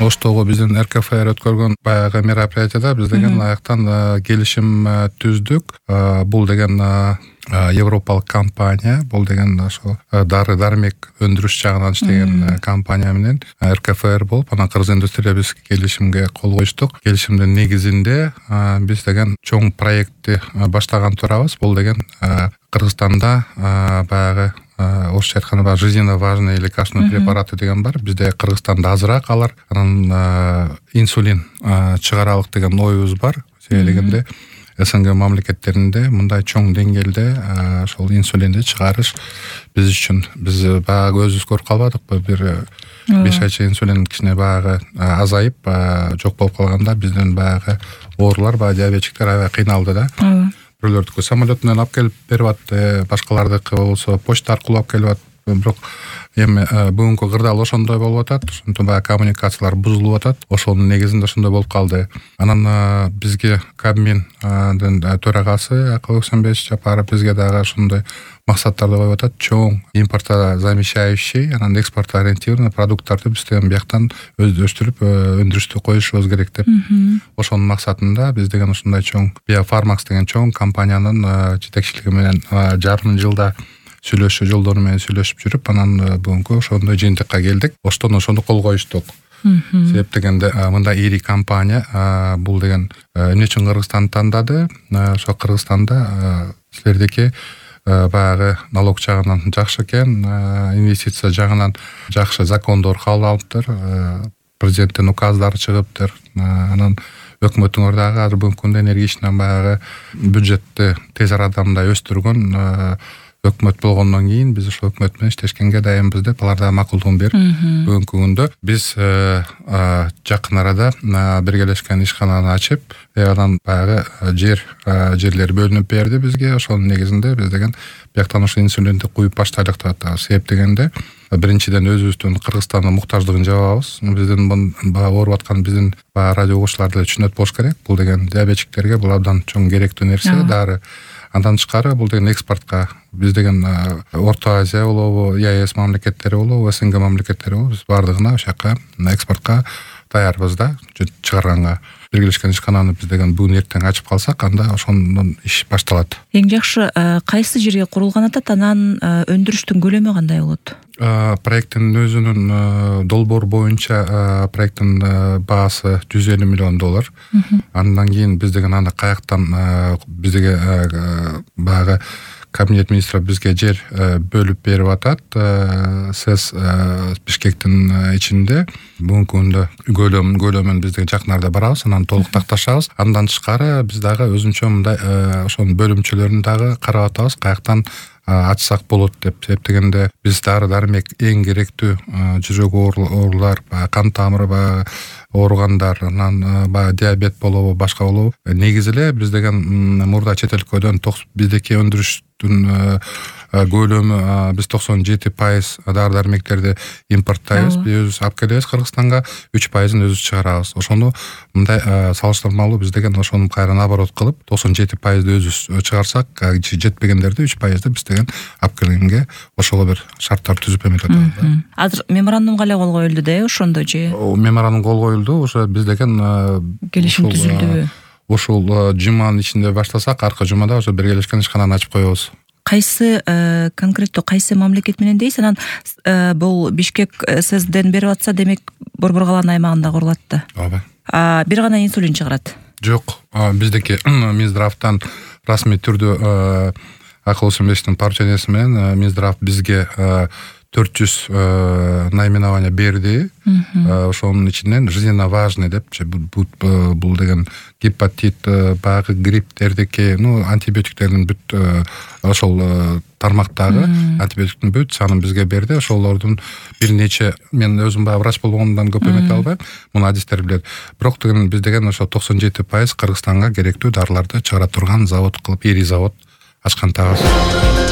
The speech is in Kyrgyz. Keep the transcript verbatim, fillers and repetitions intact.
Оштогу биздин эр ка эф эр өткөргөн баягы мероприятияда биз деген аяктан келишим түздүк. Бул деген европалык компания, бул деген ошо дары дармек өндүрүш жагынан иштеген компания менен эр ка эф эр болуп, анан кыргыз индустрия биз келишимге кол коюштук. Келишимдин негизинде биз деген чоң проектти баштаган турабыз. Бул деген Кыргызстанда баягы орусча айтканда баягы жизненно важные лекарственные препараты деген бар. Бизде Кыргызстанда азыраак алар. Анан инсулин чыгаралык деген оюбуз бар. Себебегенде эс эн гэ мамлекеттеринде мындай чоң деңгээлде ошол инсулинди чыгарыш биз үчүн биз баягы өзүбүз көрүп калбадыкпы, бир беш ай чейин инсулин кичине баягы азайып жок болуп калганда биздин баягы оорулар, баягы диабетчиктер аябай кыйналды да. Бирөөлөрдүкү самолет менен алып келип берип атты, башкалардыкы болсо почта аркылуу алып келип атты. Бирок эми бүгүнкү кырдаал ошондой болуп атат. Ошондо баягы коммуникациялар бузулуп атат. Ошонун негизинде ошондой болуп калды. Анан бизге Кабминдин төрагасы Акыл Өксөнбекович Жапаров бизге дагы ошондой максаттарды коюп атат. Чоң импортозамещающий, анан экспортоориентированный продукттарды биз деген бияктан өстүрүп өндүрүштү коюшубуз керек деп. Ошонун максатында биз деген ушундай чоң Биофармакс деген чоң компаниянын жетекчилиги менен жарым жылда сүйлөшүү жолдору менен сүйлөшүп жүрүп, анан бүгүнкү ошондой жыйынтыкка келдик. Оштон ошону кол коюштук. Себеп дегенде мындай ири компания бул деген эмне үчүн Кыргызстанды тандады? Ошо Кыргызстанда силердики баягы налог жагынан жакшы экен, инвестиция жагынан жакшы закондор кабыл алыптыр, президенттин указдары чыгыптыр. Анан өкмөтүңөр дагы азыр бүгүнкү күндө энергичный баягы бюджетти тез арада мындай өстүргөн өкмөт болгондон кийин биз ошол өкмөт менен иштешкенге дайынбыз деп алар да макулдугун берип, бүгүнкү күндө биз жакын арада биргелешкен ишкананы ачып, анан баягы жер жерлер бөлүнүп берди бизге. Ошонун негизинде биз деген бияктан ошо инсулинди куюп баштайлык деп атабыз. Себеп дегенде биринчиден өзүбүздүн Кыргызстандын муктаждыгын жабабыз. Биздин баягы ооруп аткан биздин баягы радио угуучулар деле түшүнөт болуш керек. Бул деген диабетчиктерге бул абдан чоң керектүү нерсе, дары. Андан тышкары бул деген экспортко биз деген Орто Азия болобу, е а эс мамлекеттери болобу, эс эн гэ мамлекеттери болобу, биз бардыгына ошол жака экспортко даярбыз да, чыгарганга. Биргелешкен ишкананы биз деген бүгүн эртең ачып калсак, анда ошондон иш башталат. Эң жакшы кайсы жерге курулган атат, анан өндүрүштүн көлөмү кандай болот? Проекттин өзүнүн долбоор боюнча проекттин баасы жүз элүү миллион доллар. Андан кийин биз деген аны каяктан бизге баягы Кабинет министров бизге жер бөлүп берип атат. Сез Бишкектин ичинде бүгүнкү күндө көлөм көлөмүн биз деген жакын арада барабыз, анан толук такташабыз. Андан тышкары биз дагы өзүнчө мындай ошонун бөлүмчөлөрүн дагы карап атабыз, каяктан ачсак болот деп. Себеп дегенде биз дары дармек эң керектүү жүрөк оорулар, кан тамыры ооругандар, анан баягы диабет болобу, башка болобу. Негизи эле биз деген мурда чет өлкөдөн биздики өндүрүштүн көлөмү биз токсон жети пайыз дары дармектерди импорттойбуз, биз өзүбүз алып келебиз Кыргызстанга, үч пайызын өзүбүз чыгарабыз. Ошону мындай салыштырмалуу биз деген ошону кайра наоборот кылып, токсон жети пайызды өзүбүз чыгарсак, жетпегендерди үч пайызды биз деген алып келгенге ошого бир шарттар түзүп эметип атабыз. Азыр меморандумга эле кол коюлду да, ошондо же? Меморандум кол коюлду, ошо биз деген келишим түзүлдүбү? Ушул жуманын ичинде баштасак, аркы жумада ошо биргелешкен ишкананы ачып коебуз. Кайсы конкреттүү кайсы мамлекет менен дейсиз? Анан бул Бишкек ССден берип атса, демек Борбор калаанын аймагында курулат да. Ооба. Бир гана инсулин чыгарат? Жок, биздики Минздравтан расмий түрдө Акыл Өксөнбековичтин поручениясы менен Минздрав бизге төрт жүз наименование берди. Ошонун ичинен жизненно важный деп, бул деген гепатит, баягы грипптердики, ну, антибиотиктердин бүт ошол тармактагы антибиотиктин бүт санын бизге берди. Ошолордун бир нече, мен өзүм баягы врач болгондон көп эмете албайм, муну адистер билет. Бирок деген биз деген ошо токсон жети пайыз Кыргызстанга керектүү дарыларды чыгара турган завод кылып, ири завод ачкантабыз.